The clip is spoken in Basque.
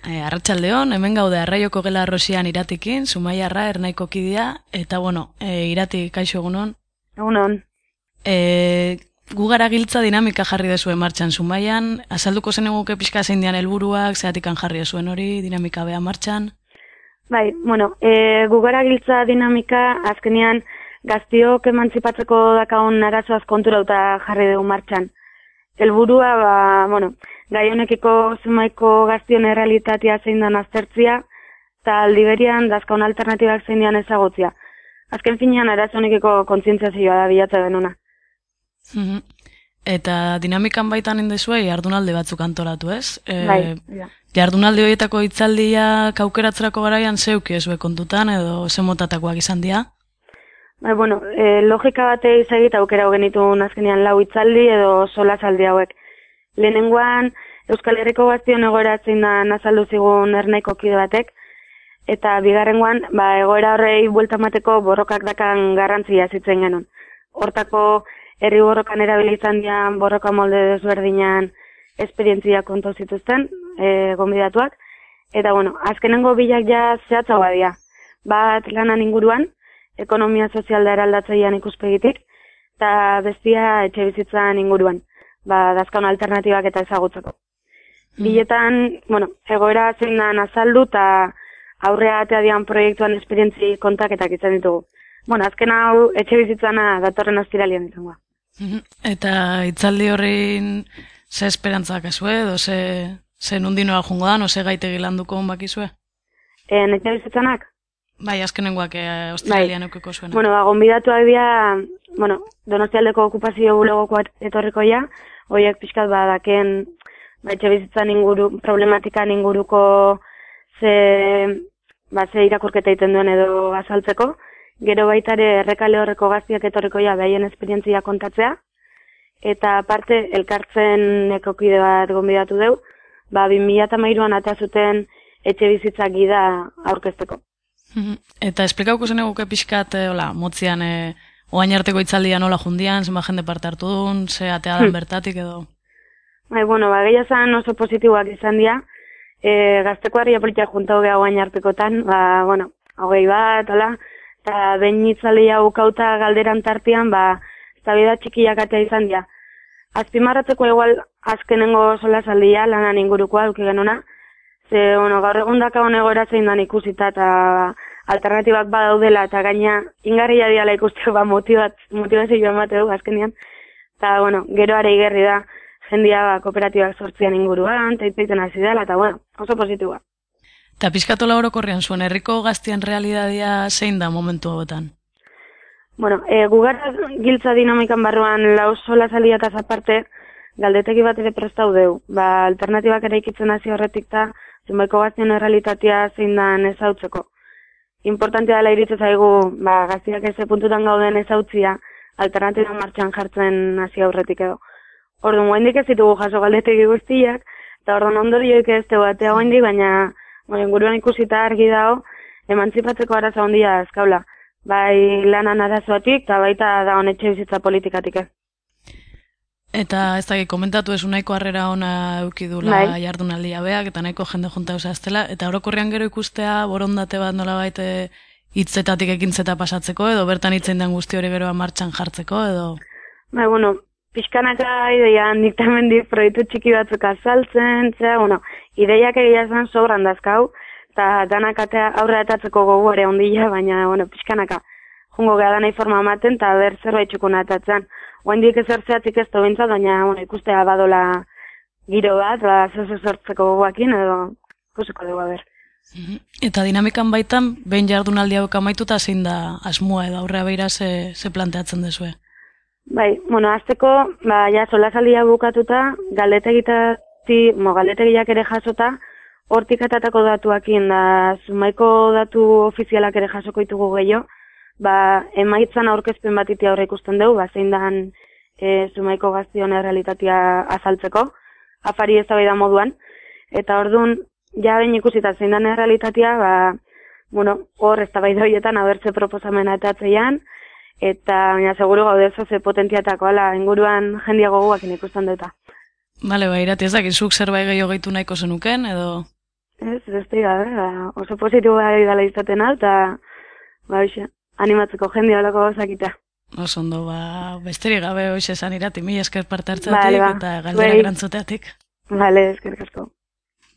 Arratsaldeon, hemen gaude Arraioko Gela Rosian Iratikin, Zumaiarra Ernaiko kidea, eta Irati, kaixo egunon. Egunon. Gu gara giltza dinamika jarri dezue martxan Zumaian, azalduko zen eguke pixka zein dian helburuak, zeatikan jarri dezuen hori, dinamika bea martxan. Bai, gu gara giltza dinamika azkenean gaztiok emantzipatzeko dakagun arazoaz konturauta jarri dugu martxan. Helburua, gai honekiko Zumaiko gaztion errealitatea zein dan aztertzia, eta aldi berian dazkaun alternatibak zein dian ezagutzia. Azken finean arazo honekiko kontzientziazioa da bilatza denuna. Eta dinamikan baitan indezue jardunalde batzuk antolatu, ez? Bai. Jardunalde horietako hitzaldiak aukeratzerako garaian zeuki ezue kontutan edo zemotatakoak izan dira? Bai, logika bate izagit aukera genituen azkenean 4 hitzaldi edo solasaldi hauek. Lehenengoan Euskal Herriko gaztion egoera zein da azaldu zigun Ernaiko kide batek, eta bigarrengoan egoera horrei buelta emateko borrokak dakan garrantzia zitzen genuen. Hortako herri borrokan erabili izan dian borroka molde desberdinan esperientzia kontu zituzten gonbidatuak, eta azkenengo bilak ja zehatzagoa dira. Bat lanan inguruan, ekonomia sozial da eraldatzailean ikuspegitik, eta bestia etxe bizitzan inguruan, dazkaun alternatibak eta ezagutzeko. Biletan, egoera zein dan azaldu eta aurrea atea dian proiektuan esperientzi kontaketak izan ditugu. Azken hau etxe bizitzana datorren ostiralian izango. Eta hitzaldi horrein ze esperantzak ezue, edo ze nundinoa jungo da, no ze gaitegi landuko bakizue? Etxe bizitzanak? Bai, azkenengoak ostiralian eukiko zuena. Gonbidatuak dira, Donostialdeko okupazio bulegoko etorriko ja, horiek pixkat daken etxe bizitzan problematikan inguruko ze irakurketa egiten duen edo azaltzeko, gero baita ere errekale horreko gaztiak etorriko ja behaien esperientzia kontatzea, eta aparte elkartzen ekokide bat gonbidatu deu, 2013an atea zuten etxe bizitzak gida aurkezteko. Eta esplikauko zen eguke pixkat, motzian, oain arteko hitzaldian nola jundian, zenba jende parte hartu duen, ze atea dan bertatik edo? Gehia zan oso positiboak izan dira, gazteko harria politia juntau geha oain artekotan, 20 bat, eta behin hitzaldia ukauta galderan tartian, eztabaida txikiak atea izan dira. Azpimarratzeko igual azkenengo solasaldia lanan ingurukoa duki genuna, ze, gaur egun dakagun egoera zein dan ikusita eta alternatibak badaudela eta gaina ingarria diala ikusteko motivazioa emateu azkenean. Eta, gero are igerri da jendia kooperatibak sortzian inguruan, eta itzaiten hasi dela, eta, oso positiboa. Eta pizkatola orokorrean zuen, herriko gaztien realidadia zein da momentu hauetan? Gugara giltza dinamikan barruan 4 solasaldiataz aparte, galdetegi bat ere prestau deu. Alternatibak ere ikitzen hasi horretik eta Zumaiko gaztien errealitatea zein dan ezautzeko. Importantea dela iritze zaigu, gaztiak eze puntutan gauden ezautzia, alternatiba martxan jartzen hasi aurretik edo. Orduan, oaindik ez ditugu jaso galdetegi guztiak, eta orduan ondorioik ez tegu atea oaindik, baina inguruan ikusita argi dago, emantzipatzeko arazo handia azkaula. Bai lanan arazoatik, eta baita da honetxe bizitza politikatik ez. Eta ez da, komentatu ez nahiko harrera ona eukidula jardunaldia beak, eta nahiko jende junta eusaztela, eta orokorrean gero ikustea borondate bat nola baite hitzetatik ekintzeta pasatzeko, edo bertan hitzen den guzti hori geroa martxan jartzeko, edo? Pixkanaka ideian diktamendik proiektu txiki batzuk azaltzen, ideiak egia zen sobran dazkau, eta danak aurre atatzeko gogu ere ondila, baina, pixkanaka jungo geha danai forma ematen, eta ber zerbait txukuna atatzen. Oaindik ezertzeatik ez bintzat, baina ikustea badola giro bat, zezo sortzeko goguakin, edo ikusiko dugu ber. Eta dinamikan baitan, behin jardunaldi hauek amaituta zein da asmoa edo aurrea beira ze planteatzen dezue? Bai, azteko, solasaldia bukatuta, galdetegiak ere jasota, hortik atatako datuakin, Zumaiko datu ofizialak ere jasoko ditugu gehiago, emaitzan aurkezpen bat iti aurre ikusten dugu, zein dan Zumaiko gaztion errealitatea azaltzeko, afari eztabaida moduan, eta orduan, ja behin ikusita zein dan errealitatea, hor eztabaida horietan abertze proposamena etatzean, eta seguru gaude ze potentziatako inguruan jendia gogoak ikusten duta. Bale, Irati, ez dakizuk zerbait gehiago gehitu nahiko zenuken, edo? Ez, beste gabe, oso positiboa dela izaten hau, eta, animatzeko jende holako gauzakita. Oso ondo, besterik gabe hoxe esan irati, mila esker parte hartzatik eta galderak erantzuteatik. Bale, eskerrik asko.